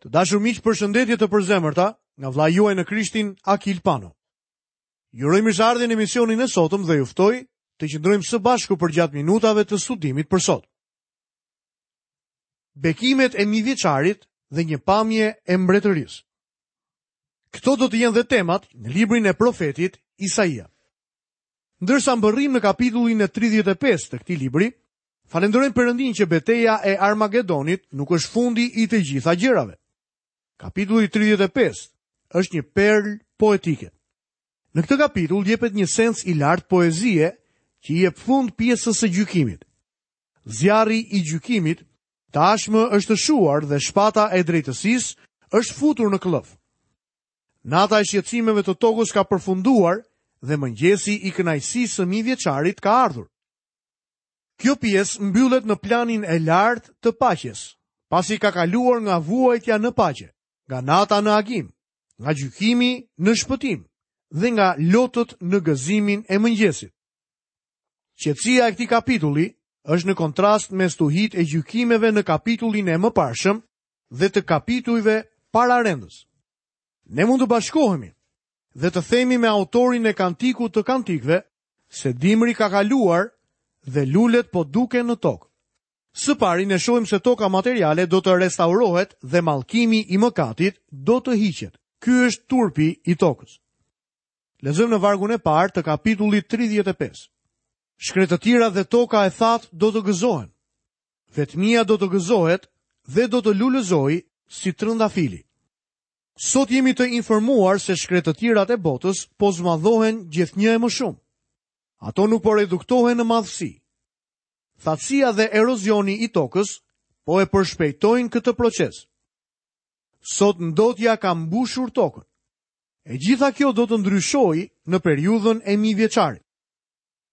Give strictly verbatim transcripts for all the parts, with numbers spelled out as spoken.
Të dashur miq, përshëndetje të përzemërta nga vëllai juaj në Krishtin Akil Pano. Ju uroj mirëseardhjen në emisionin e sotëm dhe ju ftoj të qëndrojmë së bashku përgjatë minutave të studimit për sot. Bekimet e mijëvjeçarit dhe një pamje e mbretërisë. Këto do të jenë dhe temat në librin e profetit Isaia. Ndërsa mbërrim në kapitullin e tridhjetë e pesë të këtij libri, falenderojmë Perëndin që beteja e Armagedonit nuk është fundi i të gjitha gjërave. Kapitulli tridhjetë e pesë është një perlë poetike. Në këtë kapitull jepet një sens i lartë poezie që i jep fund pjesës së gjykimit. Zjarri i gjykimit tashmë është shuar dhe shpata e drejtësisë është futur në këllëf. Nata e shqetësimeve të tokës ka përfunduar dhe mëngjesi i kënaqësisë së mijëvjeçarit ka ardhur. Kjo pjesë mbyllet në planin e lartë të paqes, pasi ka kaluar nga vuajtja në paqe, nga nata në agim, nga gjykimi në shpëtim dhe nga lotët në gëzimin e mëngjesit. Qetësia e këtij kapitulli është në kontrast me stuhit e gjykimeve në kapitullin e mëparshëm dhe të kapitujve pararendës. Ne mund të bashkohemi dhe të themi me autorin e kantikut të kantikëve se dimri ka kaluar dhe lulet po duken në tokë. Së pari ne shohim se toka materiale do të restaurohet dhe mallkimi i mëkatit do të hiqet. Ky është turpi i tokës. Lexojmë në vargun e parë të kapitullit tridhjetë e pesë. Shkretëtira dhe toka e thatë do të gëzohen. Vetmia do të gëzohet dhe do të lulëzojë si trëndafili. Sot jemi të informuar se shkretëtirat e botës po zmadhohen gjithnjë e më shumë. Ato nuk po reduktohen në madhësi. Thatësia dhe erozioni i tokës po e përshpejtojnë këtë proces. Sot ndotja ka mbushur tokën. E gjitha kjo do të ndryshojë në periudhën e mijëvjeçarit.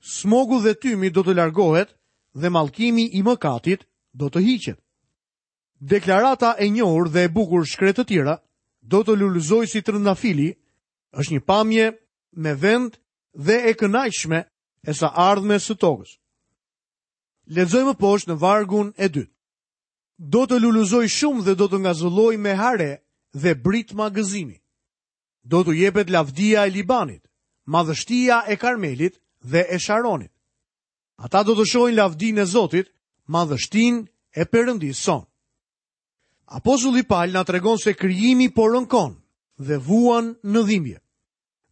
Smogu dhe tymi do të largohet dhe mallkimi i mëkatit do të hiqet. Deklarata e njohur dhe e bukur shkretëtira do të lulëzojë si trëndafili është një pamje me vend dhe e kënaqshme e së ardhmes së tokës. Lexojmë poshtë në vargun e dytë. Do të lulëzoj shumë dhe do të ngazëlloj me hare dhe britma gëzimi. Do t'u jepet lavdia e Libanit, madhështia e Karmelit dhe e Sharonit. Ata do të shohin lavdinë e Zotit, madhështinë e Perëndisë sonë. Apostulli Paul na tregon se krijimi po rënkon dhe vuan në dhimbje.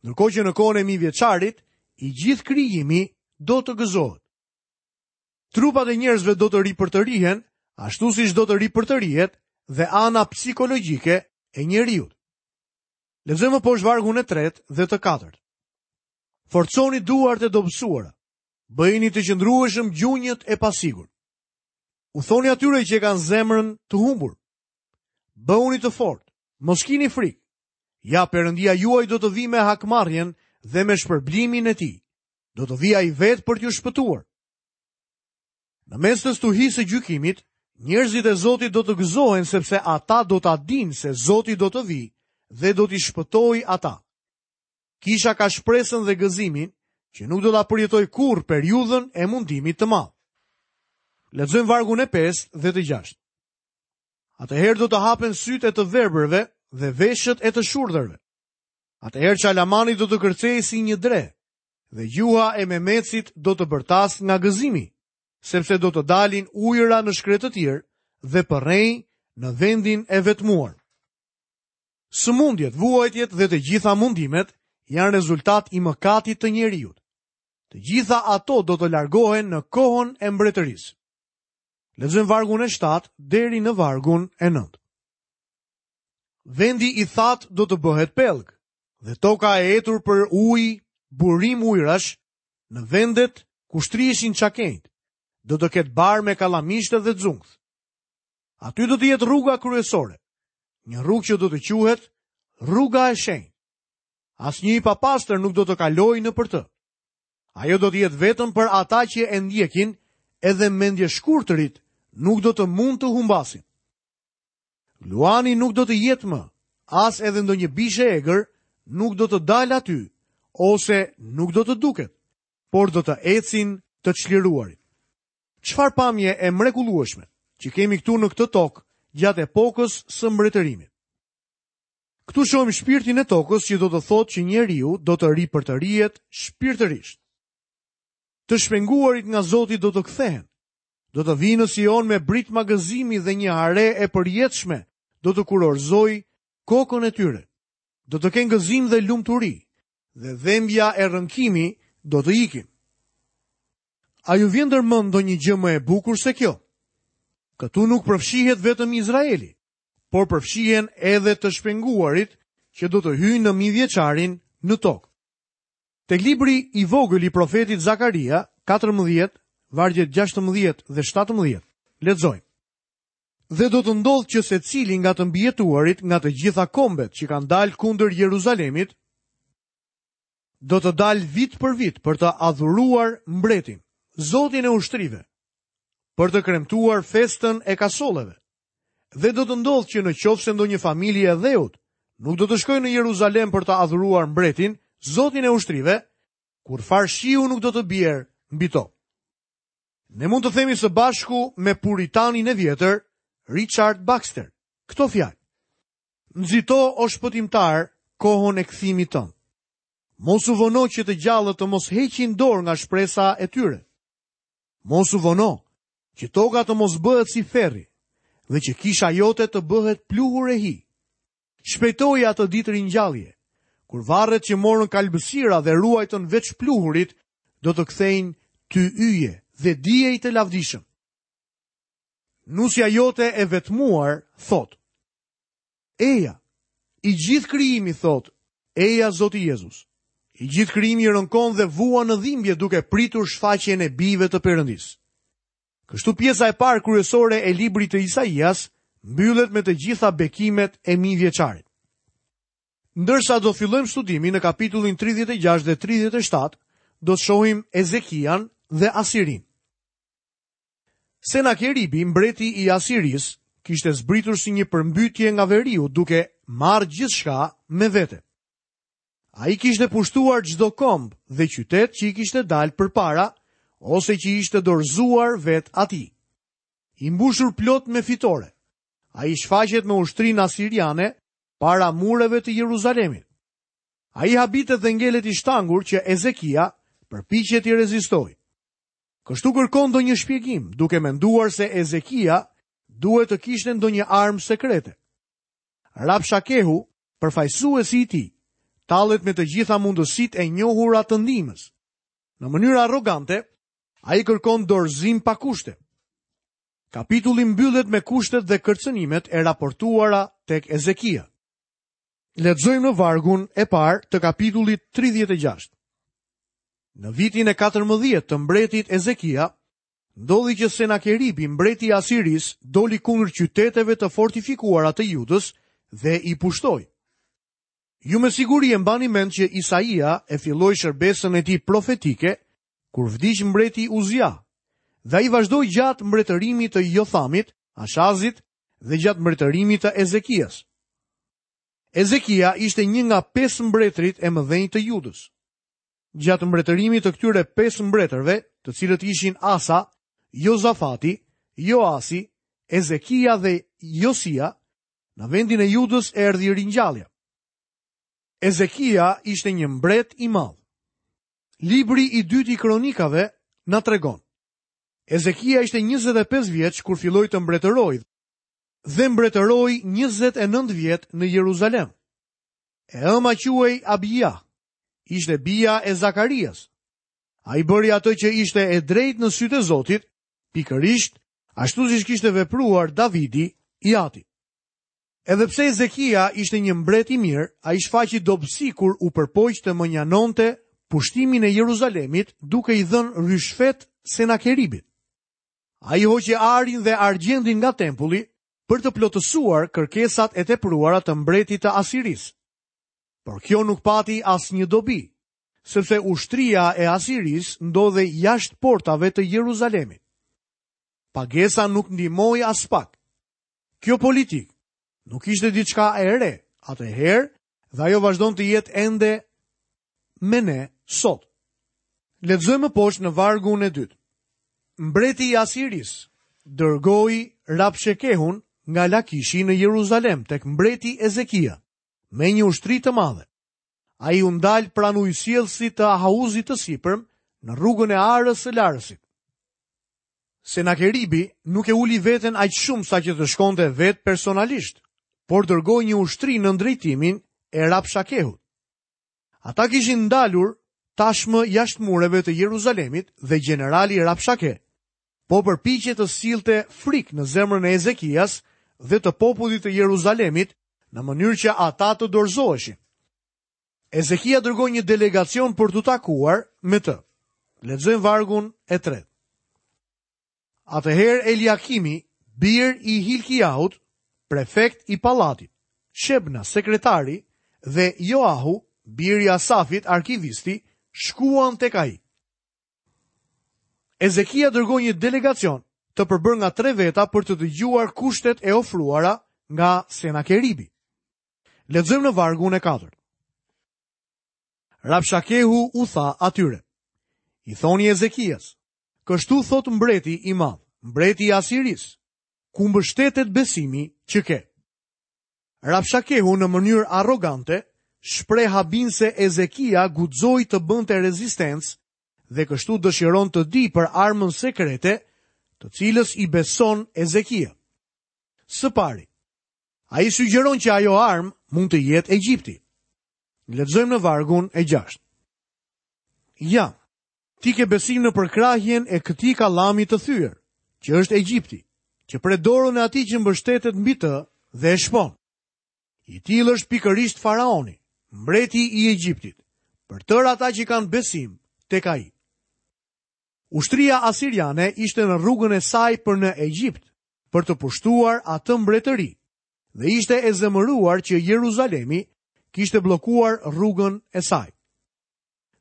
Ndërkohë që në kohën e mijëvjeçarit, i gjithë krijimi do të gëzohet. Trupat e njerëzve do të ripërtërihen, ashtu siç do të ripërtërihet dhe ana psikologjike e njeriut. Lexojmë poshtë vargun e tretë dhe të katërt. Forconi duart e dobësuara, bëjini të qëndrueshëm gjunjët e pasigurt. U thoni atyre që e kanë zemrën të humbur, bëhuni të fortë, mos kini frikë. Ja, Perëndia juaj do të vijë me hakmarrjen dhe me shpërblimin e tij. Do të vijë ai vetë për t'ju shpëtuar. Në mes të stuhisë së gjykimit, njerëzit e Zotit do të gëzohen sepse ata do ta dinë se Zoti do të vijë dhe do t'i shpëtojë ata. Kisha ka shpresën dhe gëzimin që nuk do ta përjetojë kurrë periudhën e mundimit të madh. Lexojmë vargun e pestë dhe të gjashtë. Atëherë do të hapen sytë e të verbërve dhe veshët e të shurdhërve. Atëherë çalamani do të kërcejë si një dre dhe gjuha e memecit do të bërtas nga gëzimi, sepse do të dalin ujëra në shkretëtirë dhe përrenj në vendin e vetmuar. Sëmundjet, vuajtjet dhe të gjitha mundimet janë rezultat i mëkatit të njeriut. Të gjitha ato do të largohen në kohën e mbretërisë. Lexojmë vargun e shtatë deri në vargun e nëntë. Vendi i thatë do të bëhet pellg dhe toka e etur për ujë, burim ujërash, në vendet ku shtriheshin çakenjt, do të ketë bar me kallamishte dhe xungth. Aty do të jetë rruga kryesore, një rrugë që do të quhet rruga e shenjtë. Asnjë i papastër nuk do të kalojë nëpër të. Ajo do të jetë vetëm për ata që e ndjekin, edhe mendjeshkurtërit nuk do të mund të humbasin. Luani nuk do të jetë më, as edhe ndonjë bishë e egër nuk do të dalë aty, ose nuk do të duket, por do të ecin të çliruarit. Çfarë pamje e mrekullueshme që kemi këtu në këtë tokë gjatë epokës së mbretërimit. Këtu shohim shpirtin e tokës që do të thotë që njeriu do të ripërtërihet shpirtërisht. Të shpenguarit nga Zoti do të kthehen. Do të vinë në Sion me britma gëzimi dhe një hare e përjetshme do të kurorzoj kokën e tyre. Do të kenë gëzim dhe lumturi, dhe dhembja e rënkimi do të ikin. A ju vjen ndërmend ndonjë gjë më e bukur se kjo? Këtu nuk përfshihet vetëm Izraeli, por përfshihen edhe të shpenguarit që do të hyjnë në mijëvjeçarin në tokë. Tek libri i vogël i profetit Zakaria, katërmbëdhjetë, vargjet gjashtëmbëdhjetë dhe shtatëmbëdhjetë, lexojmë. Dhe do të ndodhë që secili nga të mbijetuarit nga të gjitha kombet që kanë dalë kundër Jeruzalemit, do të dalë vit për vit për të adhuruar mbretin, Zotin e ushtrive, për të kremtuar festën e kasolleve. Dhe do të ndodhë që në qoftë se ndonjë familje e dheut nuk do të shkojë në Jeruzalem për të adhuruar mbretin, Zotin e ushtrive, kur farë shiu nuk do të bjerë mbi to. Ne mund të themi së bashku me puritanin e vjetër, Richard Baxter, këto fjalë. Nxito, o shpëtimtar, kohën e kthimit tënd. Mos u vono që të gjallët të mos heqin dorë nga shpresa e tyre. Mos u vono që toka të mos bëhet si ferri dhe që kisha jote të bëhet pluhur e hi. Shpejtoi atë ditë ringjallje, kur varret që morën kalbësira dhe ruajtën veç pluhurit, do të kthejnë ty yje dhe diej të lavdishëm. Nusja jote e vetmuar thot: Eja, i gjithë krijimi thot, eja Zoti Jezus. I gjithë krijimi rënkon dhe vuan në dhimbje duke pritur shfaqjen e bijve të Perëndisë. Kështu pjesa e parë kryesore e librit të Isaias mbyllet me të gjitha bekimet e mijëvjeçarit. Ndërsa do fillojmë studimin në kapitullin tridhjetë e gjashtë dhe tridhjetë e shtatë, do të shohim Ezekian dhe Asirin. Senakeribi, mbreti i Asirisë, kishte zbritur si një përmbytje nga veriu duke marrë gjithçka me vete. Ai kishte pushtuar çdo komb dhe qytet që i kishte dalë përpara ose që ishte dorëzuar vet atij. I mbushur plot me fitore, ai shfaqet me ushtrinë asiriane para mureve të Jeruzalemit. Ai habitet dhe ngelet i shtangur që Ezekia përpiqet i rezistojë. Kështu kërkon ndonjë shpjegim, duke menduar se Ezekia duhet të kishte ndonjë armë sekrete. Rabshakehu, përfaqësuesi i tij, tallet me të gjitha mundësitë e njohura të ndihmës. Në mënyrë arrogante, ai kërkon dorëzim pa kushte. Kapitulli mbyllet me kushtet dhe kërcënimet e raportuara tek Ezekia. Lexojmë në vargun e parë të kapitullit tridhjetë e gjashtë. Në vitin e katërmbëdhjetë të mbretit Ezekia, ndodhi që Senakeribi, mbreti i Asirisë, doli kundër qyteteve të fortifikuara të Judës dhe i pushtoi. Ju me siguri e mbani mend që Isaia e filloi shërbesën e tij profetike kur vdiq mbreti Uzia, dhe ai vazhdoi gjatë mbretërimit të Jothamit, Ashazit dhe gjatë mbretërimit të Ezekias. Ezekia ishte një nga pesë mbretërit e mëdhenj të Judës. Gjatë mbretërimit të këtyre pesë mbretërve, të cilët ishin Asa, Jozafati, Joasi, Ezekia dhe Josia, në vendin e Judës erdhi ringjallja. Ezekia ishte një mbret i madh. Libri i dytë i kronikave na tregon. Ezekia ishte njëzet e pesë vjeç kur filloi të mbretërojë dhe mbretëroi njëzet e nëntë vjet në Jeruzalem. E ëma quhej Abia, ishte bija e Zakarias. Ai bëri atë që ishte e drejtë në sytë e Zotit, pikërisht ashtu siç kishte vepruar Davidi i ati. Edhe pse Ezekia ishte një mbret i mirë, ai shfaqi dobësi kur u përpoq të mënjanonte pushtimin e Jeruzalemit duke i dhënë ryshfet Senakeribit. Ai hoqi arin dhe argjendin nga tempulli për të plotësuar kërkesat e tepruara të mbretit të Asirisë. Por kjo nuk pati asnjë dobi, sepse ushtria e Asirisë ndodhej jashtë portave të Jeruzalemit. Pagesa nuk ndihmoi as pak. Kjo politikë nuk ishte diçka e re atëherë dhe ajo vazhdon të jetë ende me ne sot. Lexojmë më poshtë në vargun e dytë. Mbreti i Asirisë dërgoi Rabshekehun nga Lakishi në Jeruzalem tek mbreti Ezekia me një ushtri të madhe. Ai u ndal pranë ujësjellësit të Ahauzit të sipërm në rrugën e arës së Larësit. Senakeribi nuk e uli veten aq shumë sa që të shkonte vetë personalisht, por dërgoi një ushtri në drejtimin e Rapshakehut. Ata kishin ndalur tashmë jashtë mureve të Jeruzalemit dhe gjenerali Rapshake po përpiqej të sillte frikë në zemrën e Ezekias dhe të popullit të Jeruzalemit në mënyrë që ata të dorëzoheshin. Ezekia dërgoi një delegacion për t'u takuar me të. Lexojmë vargun e tretë. Atëherë Eliakimi, bir i Hilkiahut, prefekt i pallatit, Shebna, sekretari, dhe Joahu, bir i Asafit, arkivisti, shkuan tek ai. Ezekia dërgoi një delegacion të përbërë nga tre veta për të dëgjuar kushtet e ofruara nga Senakeribi. Lexojmë në vargun e katërt. Rapshakehu u tha atyre: I thoni Ezekias, kështu thot mbreti i madh, mbreti i Asirisë, ku mbështetet besimi që ke. Rapshakehu në mënyrë arrogante shpreh habin se Ezekia guxoi të bënte rezistencë dhe kështu dëshiron të di për armën sekrete, të cilës i beson Ezekia. Së pari, ai sugjeron që ajo armë mund të jetë Egjipti. Lexojmë në vargun e gjashtë. Ja, ti ke besim në përkrahjen e këtij kallami të thyer, që është Egjipti, që pret dorën e atij që mbështetet mbi të dhe e shpon. I tillë është pikërisht faraoni, mbreti i Egjiptit, për tërë ata që kanë besim tek ai. Ushtria asiriane ishte në rrugën e saj për në Egjipt, për të pushtuar atë mbretëri, dhe ishte e zemëruar që Jeruzalemi kishte bllokuar rrugën e saj.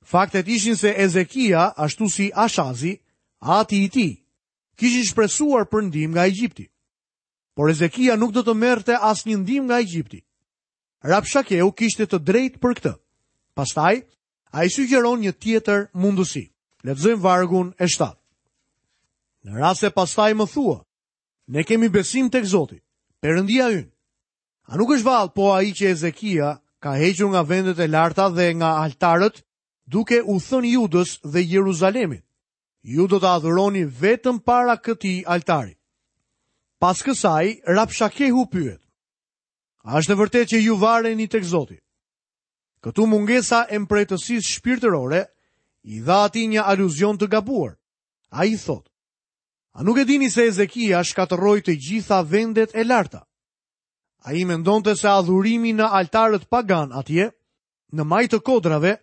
Faktet ishin se Ezekia, ashtu si Ashazi, ati i tij, kishin shpresuar për ndihmë nga Egjipti. Por Ezekia nuk do të merrte asnjë ndihmë nga Egjipti. Rapshakeu kishte të drejtë për këtë. Pastaj, ai sugjeron një tjetër mundësi. Lexojmë vargun e shtatë. Në rast se pastaj më thua, ne kemi besim tek Zoti, Perëndia ynë. A nuk është vallë po ai që Ezekia ka hequr nga vendet e larta dhe nga altarët, duke u thënë Judës dhe Jeruzalemit, ju do të adhuroni vetëm para këtij altari. Pas kësaj, Rapshakehu pyet, a është e vërtetë që ju vareni tek Zoti? Këtu mungesa e mprehtësisë shpirtërore i dha atij një aluzion të gabuar. Ai thotë, a nuk e dini se Ezekia shkatërroi të gjitha vendet e larta? Ai mendonte se adhurimi në altarët pagan atje, në majë të kodrave,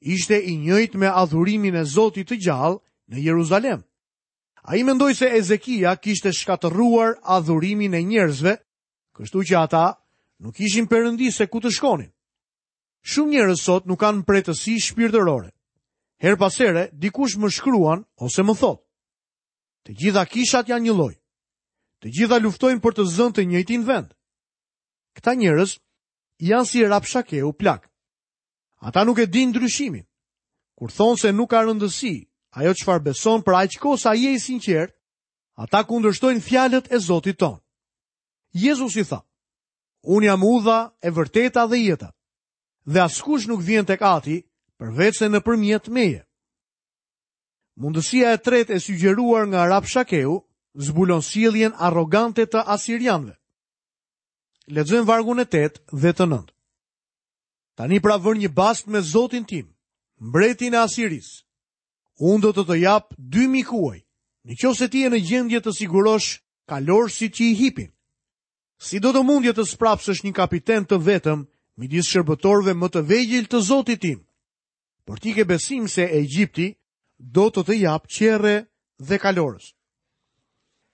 ishte i njëjtë me adhurimin e Zotit të gjallë në Jeruzalem. Ai mendoi se Ezekia kishte shkatërruar adhurimin e njerëzve, kështu që ata nuk ishin perëndi se ku të shkonin. Shumë njerëz sot nuk kanë mprehtësi shpirtërore. Her pas here, dikush më shkruan ose më thotë, të gjitha kishat janë një lloj. Të gjitha luftojnë për të zënë të njëjtin vend. Këta njerëz janë si Rapshakeu plak. Ata nuk e dinë ndryshimin. Kur thonë se nuk ka rëndësi ajo çfarë beson për aq kohë sa je i sinqert, ata kundërshtojnë fjalët e Zotit ton. Jezusi tha, unë jam udha e vërteta dhe jeta, dhe askush nuk vjen tek Ati përveç se nëpërmjet meje. Mundësia e tretë e sugjeruar nga Rapshakeu zbulon sjelljen arrogante të asirianëve. Lexojmë vargun e tetë dhe të nëntë. Tani pra vër një bast me Zotin tim, mbretin e Asirisë. Unë do të të jap dy mijë kuaj, në qoftë se ti je në gjendje të sigurosh kalorësit që i hipin. Si do të mundje të sprapsësh një kapiten të vetëm midis shërbëtorëve më të vegjël të Zotit tim? Por ti ke besim se Egjipti do të të jap qerre dhe kalorës.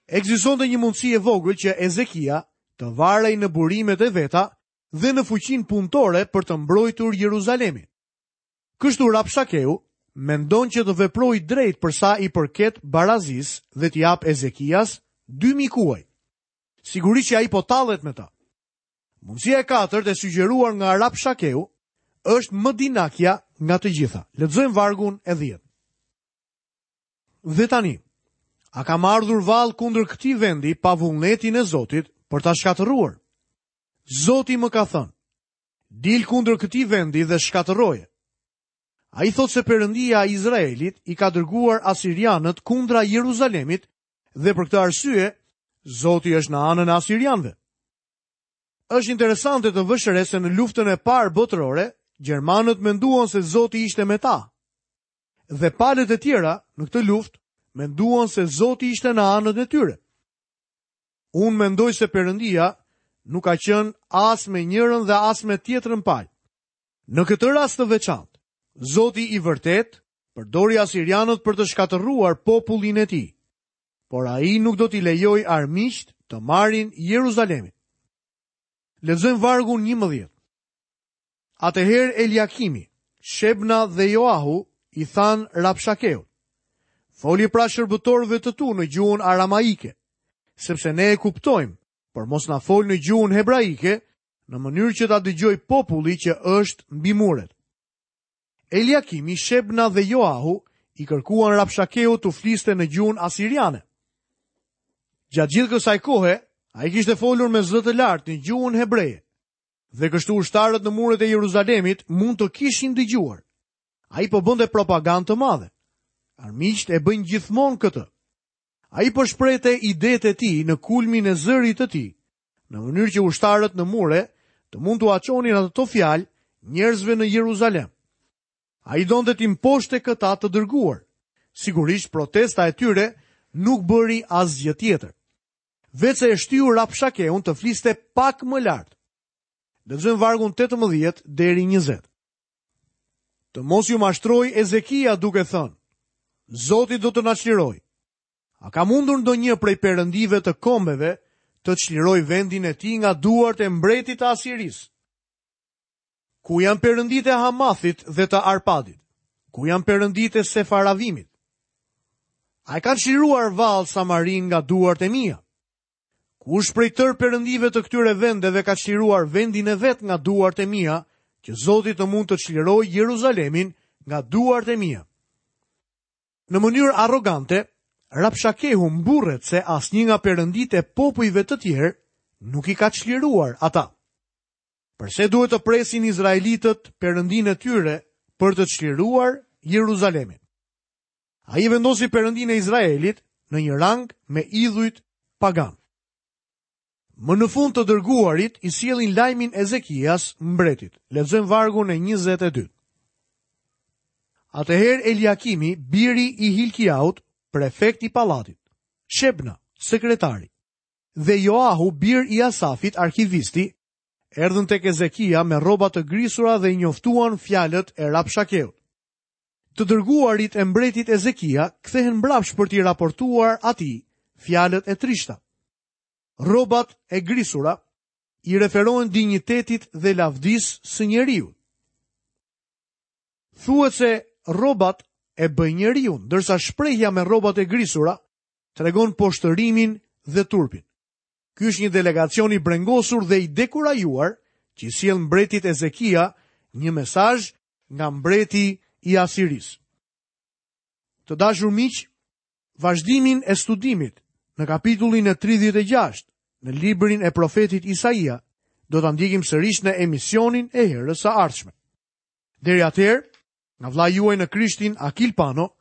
Ekzistonte një mundësi e vogël që Ezekia të varej në burimet e veta dhe në fuqinë punëtore për të mbrojtur Jeruzalemin. Kështu Rapshakeu mendon që të veprojë drejt për sa i përket barazisë dhe t'i jap Ezekias dy mijë kuaj. Sigurisht që ai po tallet me ta. Mundësia e katërt e sugjeruar nga Rapshakeu është më dinakja nga të gjitha. Lexojmë vargun e dhjetë. Dhe tani, a kam ardhur vallë kundër këtij vendi pa vullnetin e Zotit, për ta shkatërruar. Zoti më ka thënë, dil kundër këtij vendi dhe shkatërroje. Ai thotë se Perëndia e Izraelit i ka dërguar asirianët kundra Jeruzalemit dhe për këtë arsye Zoti është në anën e asirianëve. Është interesante të vësh re se në luftën e parë botërore, gjermanët menduan se Zoti ishte me ta. Dhe palët e tjera në këtë luftë menduan se Zoti ishte në anën e tyre. Unë mendoj se Perëndia nuk ka qenë as me njërën dhe as me tjetrën palë. Në këtë rast të veçantë, Zoti i vërtet përdori asirianët për të shkatërruar popullin e tij, por ai nuk do t'i lejojë armiqt të marrin Jeruzalemin. Lexojmë vargun njëmbëdhjetë. Atëherë Eliakimi, Shebna dhe Joahu i thanë Rabshakeut: Foli pra shërbëtorëve të tu në gjuhën aramaike, sepse ne e kuptojmë, por mos na fol në gjuhën hebraike, në mënyrë që ta dëgjoj populli që është mbi muret. Eliakimi, Shebna dhe Joahu i kërkuan Rabshakeut të fliste në gjuhën asiriane. Gjatë gjithë kësaj kohe, ai kishte folur me zë të lartë në gjuhën hebreje, dhe kështu ushtarët në muret e Jeruzalemit mund të kishin dëgjuar. Ai po bënte propagandë të madhe. Armiqtë e bëjnë gjithmonë këtë. Ai po shprehte idetë e tij në kulmin e zërit të tij, në mënyrë që ushtarët në mure të mund t'ua çonin ato fjalë njerëzve në Jeruzalem. Ai donte t'i mposhte këta të dërguar. Sigurisht protesta e tyre nuk bëri asgjë tjetër, veçse e shtyu Rabshakeun të fliste pak më lart. Lexojmë vargun tetëmbëdhjetë deri njëzet. Të mos ju mashtroj Ezekia duke thënë: Zoti do të na çlirojë. A ka mundur ndonjë prej perëndive të kombeve të çlirojë vendin e tij nga duart e mbretit të Asirisë? Ku janë perënditë e Hamathit dhe të Arpadit? Ku janë perënditë e Sefaravimit? A e kanë çliruar vallë Samarin nga duart e mia? Kush prej tërë perëndive të këtyre vendeve ka çliruar vendin e vet nga duart e mia, që Zoti të mund të çlirojë Jeruzalemin nga duart e mia? Në mënyrë arrogante, Rabshakehu mburret se asnjë nga perënditë e popujve të tjerë nuk i ka çliruar ata. Përse duhet të presin izraelitët perëndinë e tyre për të çliruar Jeruzalemin? Ai vendosi perëndinë e Izraelit në një rang me idhujt pagan. Më në fund të dërguarit i sjellin lajmin Ezekias mbretit. Lexojmë vargun e njëzet e dy. Atëherë Eliakimi, biri i Hilkiaut, prefekt i pallatit, Shebna, sekretari, dhe Joahu, bir i Asafit, arkivisti, erdhën tek Ezekia me rroba të grisura dhe i njoftuan fjalët e Rabshakeut. Të dërguarit e mbretit Ezekia kthehen mbrapsht për t'i raportuar atij fjalët e trishta. Rrobat e grisura i referohen dinjitetit dhe lavdisë së njeriut. Thuhet se rrobat e bëjnë njeriun, ndërsa shprehja me rrobat e grisura tregon poshtërimin dhe turpin. Ky është një delegacion i brengosur dhe i dekurajuar që i sjell mbretit Ezekia një mesazh nga mbreti i Asirisë. Të dashur miq, vazhdimin e studimit në kapitullin e tridhjetë e gjashtë në librin e profetit Isaia do ta ndjekim sërish në emisionin e herës së ardhshme. Deri atëherë, nga vëllai juaj në Krishtin Akil Pano,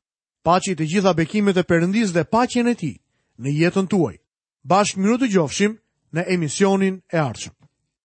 paçi të gjitha bekimet e Perëndisë dhe paqen e tij në jetën tuaj. Bashkë mirudëgjofshim në emisionin e ardhshëm.